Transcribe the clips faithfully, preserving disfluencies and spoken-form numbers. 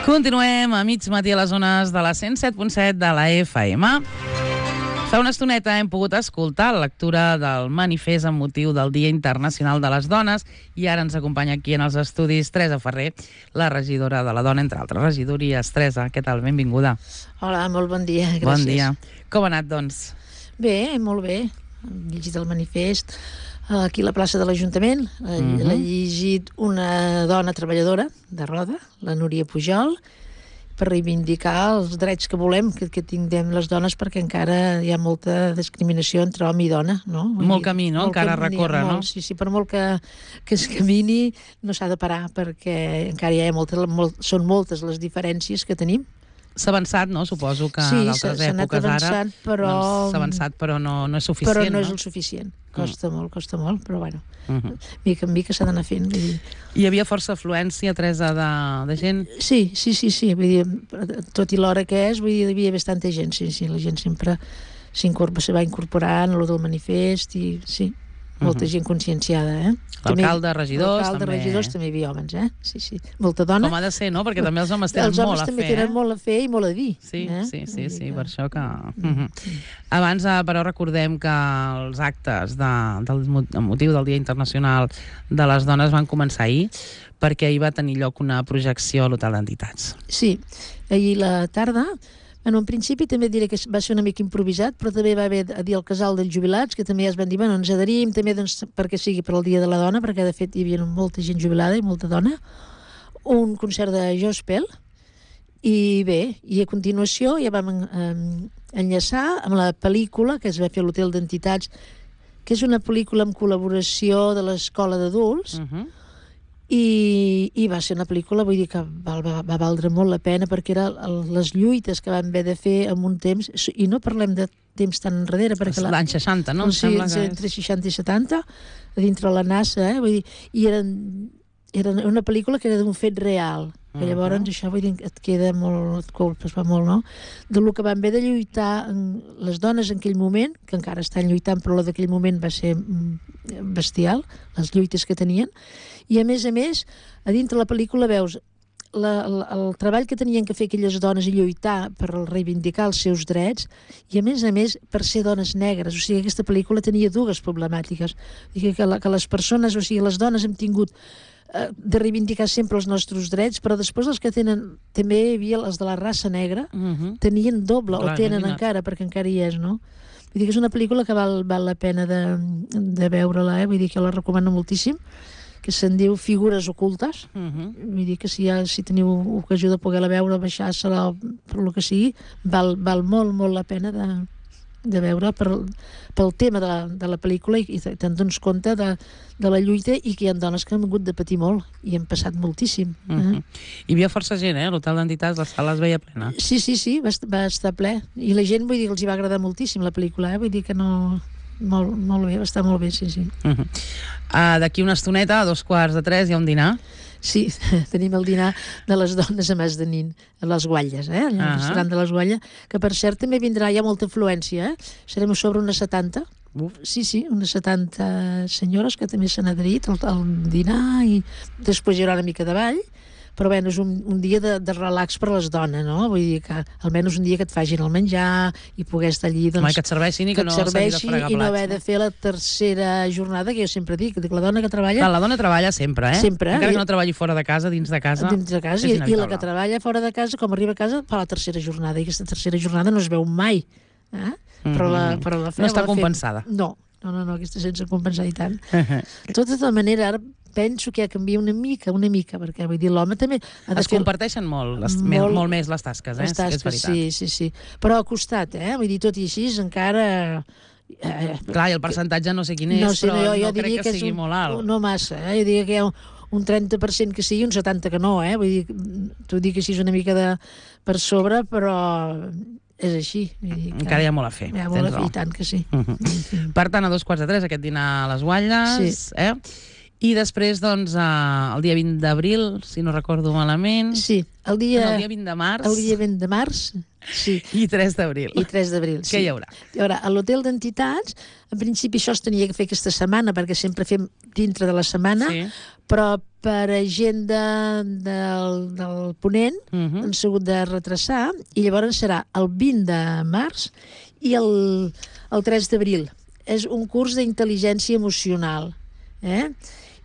Continuem a mig matí a les zones de la cent set punt set de la F M. Fa una estoneta hem pogut escoltar la lectura del manifest amb motiu del Dia Internacional de les Dones i ara ens acompanya aquí en els estudis Teresa Ferrer, la regidora de la Dona, entre altres regidories. Teresa, què tal? Benvinguda. Hola, molt bon dia, gràcies. Bon dia. Com ha anat, doncs? Bé, molt bé. Hem llegit el manifest aquí a la plaça de l'Ajuntament. Uh-huh. L'ha llegit una dona treballadora de Roda, la Núria Pujol, per reivindicar els drets que volem que, que tinguem les dones, perquè encara hi ha molta discriminació entre home i dona, no? Molt camí, no? Encara a recórrer, no? Sí, sí, per molt que, que es camini no s'ha de parar, perquè encara hi ha molta, molt, són moltes les diferències que tenim. S'ha avançat, no? Suposo que sí, d'altres èpoques ara però... doncs, s'ha avançat, però no, no és suficient. Però no, no és el suficient. Costa mm. molt, costa molt, però bueno, uh-huh. mica en mica s'ha d'anar fent. Vull dir. Hi havia força afluència, Teresa, de, de gent? Sí, sí, sí, sí. Vull dir, tot i l'hora que és, vull dir, hi havia bastanta gent, sí, sí. La gent sempre se va incorporant a lo del manifest i sí, molta uh-huh. gent conscienciada, eh? L'alcalde, regidors, l'alcalde, també. regidors, també hi havia homes, eh? Sí, sí. Molta dona. Com ha de ser, no? Perquè també els homes tenen els molt homes a fer, també tenen eh? molt a fer i molt a dir. Sí, eh? sí, sí, sí, per això que... Uh-huh. Abans, però, recordem que els actes de, del motiu del Dia Internacional de les Dones van començar ahir, perquè ahir va tenir lloc una projecció a l'Hotel d'Entitats. Sí, ahir a la tarda. Bueno, en principi també diré que va ser una mica improvisat, però també va haver a dir el casal dels jubilats, que també ja es van dir, bueno, ens adherim també doncs, perquè sigui per al Dia de la Dona, perquè de fet hi havia molta gent jubilada i molta dona, un concert de gospel, i bé, i a continuació ja vam eh, enllaçar amb la pel·lícula que es va fer a l'Hotel d'Entitats, que és una pel·lícula en col·laboració de l'Escola d'Adults, uh-huh. I, i va ser una pel·lícula, vull dir que va, va, va valdre molt la pena, perquè era el, les lluites que vam haver de fer en un temps, i no parlem de temps tan enrere, perquè l'any seixanta, no? Sí, entre seixanta i setanta, a dintre la NASA, eh? Vull dir, i eren, era una pel·lícula que era d'un fet real, que llavors uh-huh. això vull dir, et queda molt, et colpes, va molt, no? De lo que van haver de lluitar en les dones en aquell moment, que encara estan lluitant, però la d'aquell moment va ser bestial, les lluites que tenien, i a més a més, a dintre la pel·lícula veus la, la, el treball que tenien que fer aquelles dones i lluitar per reivindicar els seus drets, i a més a més per ser dones negres. O sigui, aquesta pel·lícula tenia dues problemàtiques. O sigui, que, la, que les persones, o sigui, les dones hem tingut eh, de reivindicar sempre els nostres drets, però després els que tenen, també hi havia els de la raça negra, uh-huh. tenien doble, clar, o tenen imagina't. Encara, perquè encara hi és, no? Vull dir que és una pel·lícula que val, val la pena de, de veure-la, eh? Vull dir que la recomano moltíssim, que se'n diu Figures ocultes. Uh-huh. Vull dir que si, ha, si teniu ocasió de poder-la veure, baixar-se-la, per lo que sigui, val, val molt, molt la pena de, de veure per, pel tema de la, de la pel·lícula, i, i te'n dones compte de, de la lluita, i que hi ha dones que han hagut de patir molt i han passat moltíssim. Uh-huh. Eh? Hi havia força gent, eh? L'Hotel d'Entitats, la sala es veia plena. Sí, sí, sí, va, va estar ple. I la gent, vull dir, els hi va agradar moltíssim la pel·lícula, eh? Vull dir que no... Molt, molt bé, va estar molt bé, sí, sí. Uh-huh. Uh, d'aquí una estoneta, a dos quarts de tres, hi ha un dinar. Sí, tenim el dinar de les dones a Mas de Nin, a les Guatlles, eh? Al uh-huh. restaurant de les Guatlles, que per cert també vindrà, hi ha molta afluència, eh? Serem sobre unes setanta. Uf. Sí, sí, unes setanta senyores que també s'han adherit al, al dinar, i després hi haurà una mica de ball, però bé, és un, un dia de, de relax per a les dones, no? Vull dir que almenys un dia que et facin el menjar i poder estar allí, doncs... Home, que et serveixin i que, que no s'hagi de fregar plats. I no haver de fer la tercera jornada, que jo sempre dic, dic la dona que treballa... Clar, la dona treballa sempre, eh? Sempre. Encara que no treballi fora de casa, dins de casa... Dins de casa, i, i la que treballa fora de casa, com arriba a casa, fa la tercera jornada, i aquesta tercera jornada no es veu mai, eh? Mm-hmm. Però la, però la fe, no està la compensada. Fe... No, no, no, no, aquesta sense compensar i tant. De tota manera, ara penso que ha canviat una mica, una mica, perquè vull dir, l'home també... Ha de es fer... comparteixen molt, les, molt, molt més les tasques, eh? Les tasques, és veritat. sí, sí, sí. Però ha costat, eh? Vull dir, tot i així, encara... Eh, Clar, i el percentatge no sé quin és, no sé, però no, jo, no jo crec que, que sigui un, molt alt. No massa, eh? Jo diria que hi ha un, un trenta per cent que sí i un setanta per cent que no, eh? Vull dir, t'ho dic així una mica de, per sobre, però... És així. Que encara hi ha molt a fer. Hi ha molt a fer, i tant que sí. Uh-huh. Per tant, a dos quarts de tres, aquest dinar a les Guatlles, sí. eh? I després, doncs, eh, el dia vint d'abril, si no recordo malament... Sí, el dia... El dia vint de març... El dia vint de març, sí. I tres d'abril. I tres d'abril, sí. Què hi haurà? Hi haurà a l'Hotel d'Entitats. En principi això es tenia que fer aquesta setmana, perquè sempre fem dintre de la setmana, sí. Però per agenda del, del ponent, uh -huh. han sigut de retrasar, i llavors serà el vint de març i el, el tres d'abril. És un curs d'intel·ligència emocional, eh?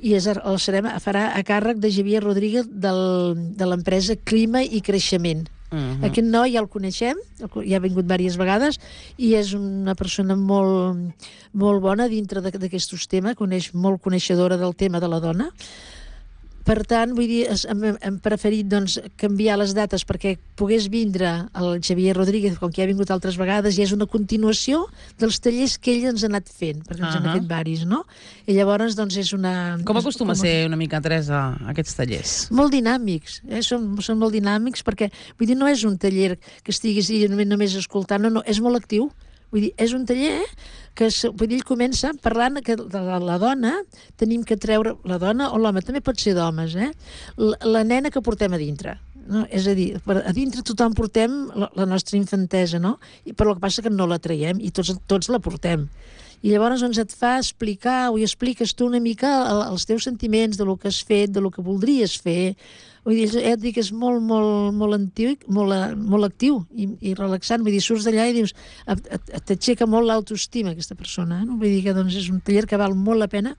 I és, el serem, farà a càrrec de Javier Rodríguez del, de l'empresa Clima i Creixement. Uh-huh. Aquest noi ja el coneixem, ja ha vingut diverses vegades, i és una persona molt, molt bona dintre d'aquests temes, coneix, molt coneixedora del tema de la dona. Per tant, vull dir, hem, hem preferit doncs, canviar les dates perquè pogués vindre el Javier Rodríguez, com que ja ha vingut altres vegades, i és una continuació dels tallers que ell ens ha anat fent, perquè ens uh-huh. han fet varis, no? I llavors, doncs, és una... Com acostuma a ser una mica, Teresa, aquests tallers? Molt dinàmics, eh? són, són molt dinàmics, perquè, vull dir, no és un taller que estiguis només, només escoltant, no, no, és molt actiu. Vull dir, és un taller que vull dir, ell comença parlant que de la, la dona tenim que treure, la dona o l'home, també pot ser d'homes, eh? La, la nena que portem a dintre. No? És a dir, a dintre tothom portem la, la nostra infantesa, no? I, però el que passa que no la traiem i tots, tots la portem. I llavors doncs, et fa explicar, o hi expliques tu una mica els teus sentiments, de lo que has fet, de lo que voldries fer. Vull dir, ja et dic, és molt, molt, molt antic, molt, molt actiu i, i relaxant. Vull dir, surts d'allà i dius, t'aixeca molt l'autoestima aquesta persona. Eh? No? Vull dir que doncs, és un taller que val molt la pena.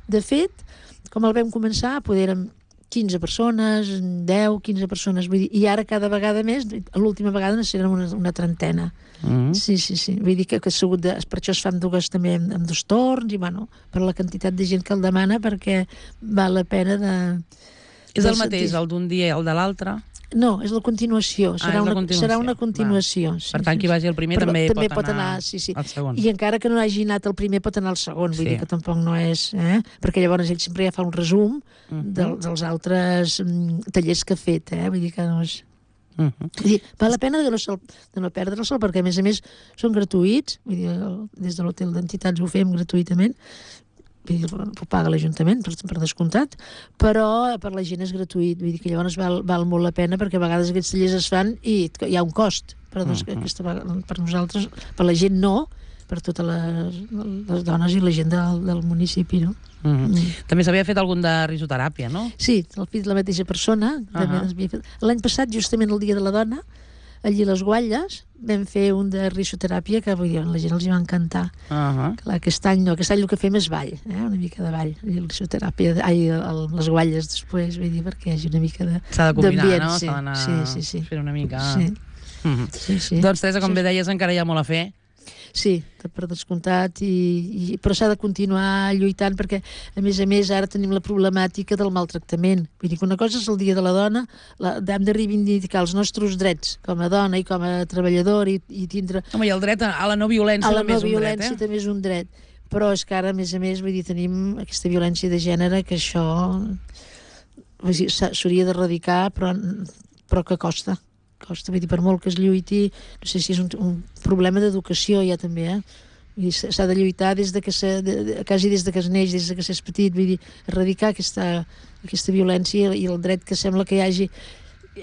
De fet, com el vam començar, poder érem quinze persones, deu, quinze persones, vull dir, i ara cada vegada més, l'última vegada serà una, una trentena. Mm. Sí, sí, sí. Vull dir que, que sigut de, per això es fan dues també amb, amb dos torns, i bueno, per la quantitat de gent que el demana, perquè val la pena de... És el mateix, el d'un dia i el de l'altre? No, és la continuació. Serà, ah, una, continuació. serà una continuació. Sí, per tant, sí, qui vagi el primer però, també, també pot, pot anar, anar sí, sí. al segon. I encara que no hagi anat el primer, pot anar al segon. Vull sí. dir que tampoc no és... Eh? Perquè llavors ell sempre ja fa un resum uh -huh. del, dels altres um, tallers que ha fet. Eh? Vull dir que no és... Uh -huh. Vull dir, val la pena de no, sol, de no perdre el sol, perquè a més a més són gratuïts. Vull dir, des de l'hotel d'entitats ho fem gratuïtament. Ho paga l'Ajuntament, per, per descomptat, però per la gent és gratuït. Vull dir que llavors val, val molt la pena, perquè a vegades aquests tallers es fan i hi ha un cost. Però doncs, uh -huh. aquesta, per nosaltres, per la gent no, per totes les, les dones i la gent del, del municipi, no? Uh -huh. mm. També s'havia fet algun de risoteràpia, no? Sí, el fill de la mateixa persona. Uh -huh. L'any passat, justament el Dia de la Dona, allí a les Guatlles, vam fer un de risoteràpia que vull dir, la gent els hi va encantar. Uh -huh. Clar, aquest any no, aquest any el que fem és ball, eh? Una mica de ball, i risoteràpia, ai, el, les Guatlles després, vull dir, perquè hi hagi una mica de s'ha de combinar, no? Sí, s'ha d'anar sí, sí, sí. fent una mica... Sí. Uh -huh. Sí, sí. Doncs, Teresa, com sí. bé deies, encara hi ha molt a fer. Sí, per descomptat, i, i, però s'ha de continuar lluitant perquè, a més a més, ara tenim la problemàtica del maltractament. Vull dir que una cosa és el Dia de la Dona, la, hem de reivindicar els nostres drets com a dona i com a treballador i, i tindre... Home, i el dret a la no violència a la també no és un violència dret, eh? també és un dret. Però és que ara, a més a més, vull dir, tenim aquesta violència de gènere que això s'hauria d'erradicar, però, però que costa. costa, vull dir, per molt que es lluiti, no sé si és un, un problema d'educació ja també, eh? S'ha de lluitar des de que se, de, de, quasi des de que es neix, des de que s'és petit, vull dir, erradicar aquesta, aquesta violència i el dret que sembla que hi hagi.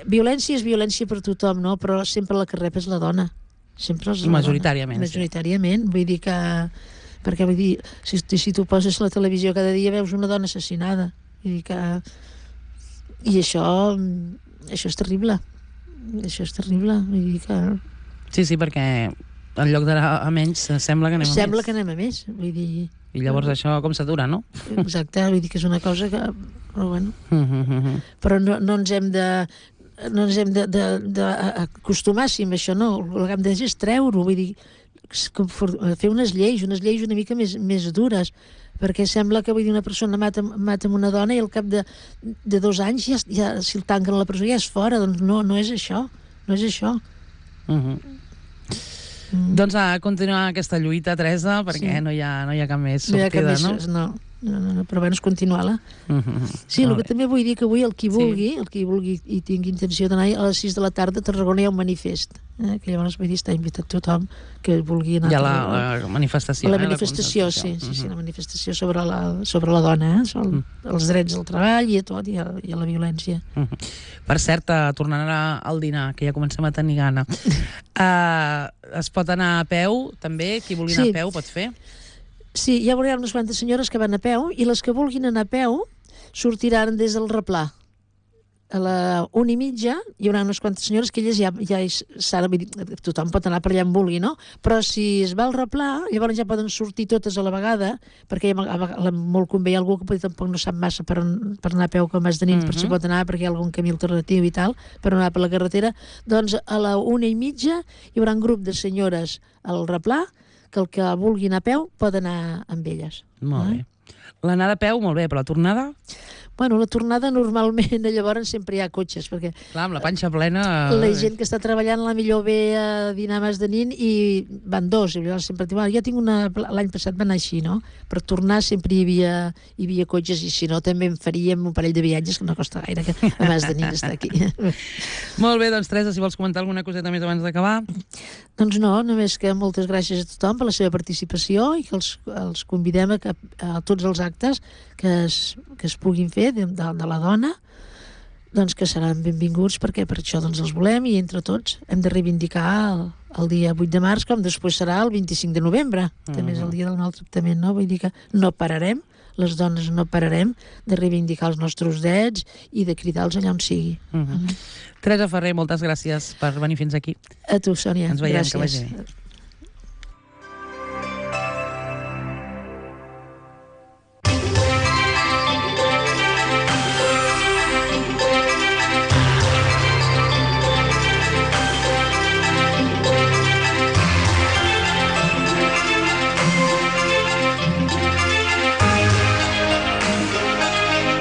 Violència és violència per tothom, no? Però sempre la que rep és la dona. Sempre és la majoritàriament. Dona. Majoritàriament, sí. Vull dir que... Perquè, vull dir, si, si tu poses la televisió cada dia veus una dona assassinada. Vull dir que... I això, això és terrible. Això és terrible, vull dir que... Sí, sí, perquè en lloc d'anar a menys sembla que anem a sembla més. que anem a més, vull dir... I llavors això com s'atura, no? Exacte, vull dir que és una cosa que... Però bueno... Però no, no ens hem de... No ens hem d'acostumar amb això, no. El que hem de fer és treure-ho, vull dir... Fer unes lleis, unes lleis una mica més, més dures, perquè sembla que, vull dir, una persona mata, mata una dona i al cap de, de dos anys ja, ja, si el tanquen a la presó ja és fora. Doncs no, no és això, no és això. Uh -huh. mm. Doncs a continuar aquesta lluita, Teresa, perquè sí. no, hi ha, no hi ha cap més sortida, no? Hi ha cap més, no? no. No, no, no, però bueno, és continuar-la. Uh -huh. Sí, el que també vull dir que avui el qui vulgui, sí. el qui vulgui i tingui intenció d'anar a les sis de la tarda a Tarragona hi ha un manifest, eh? Que llavors vull dir, està invitat tothom que vulgui anar. Hi ha la, la manifestació. La eh? manifestació, la sí, sí, uh -huh. sí, la manifestació sobre la, sobre la dona, eh? sobre uh -huh. els drets al treball i a tot, i a, i a la violència. Uh -huh. Per cert, tornant al dinar, que ja comencem a tenir gana, uh, es pot anar a peu, també? Qui vulgui anar sí. a peu pot fer? Sí, hi haurà unes quantes senyores que van a peu i les que vulguin anar a peu sortiran des del replà. A la una i mitja hi haurà unes quantes senyores que elles ja, ja s'han, tothom pot anar per allà on vulgui, no? Però si es va al replà, llavors ja poden sortir totes a la vegada, perquè ja, a, molt convé hi ha algú que potser tampoc no sap massa per, per anar a peu com has de nit, mm -hmm. per si pot anar perquè hi ha algun camí alternatiu i tal, per anar per la carretera. Doncs a la una i mitja hi haurà un grup de senyores al replà que el que vulgui anar a peu pot anar amb elles. Molt eh? bé. L'anada a peu, molt bé, però la tornada? Bueno, la tornada normalment llavors sempre hi ha cotxes, perquè... Clar, amb la panxa plena... La gent que està treballant la millor ve a dinar més de nit i van dos, i llavors sempre diuen, ja tinc una... L'any passat va anar així, no? Per tornar sempre hi havia, hi havia cotxes, i si no també en faríem un parell de viatges, que no costa gaire, que a més de nit està aquí. Molt bé, doncs Teresa, si vols comentar alguna coseta més abans d'acabar. Doncs no, només que moltes gràcies a tothom per la seva participació i que els, els convidem a, que, a tots els actes que es, que es puguin fer de, de, de la dona, doncs que seran benvinguts, perquè per això doncs els volem, i entre tots hem de reivindicar el, el dia vuit de març, com després serà el vint-i-cinc de novembre, mm-hmm. també és el dia del maltractament, no? Vull dir que no pararem, les dones no pararem de reivindicar els nostres drets i de cridar-los allà on sigui. Mm-hmm. Mm-hmm. Teresa Ferrer, moltes gràcies per venir fins aquí. A tu, Sònia. Ens veiem, gràcies. que vagi bé.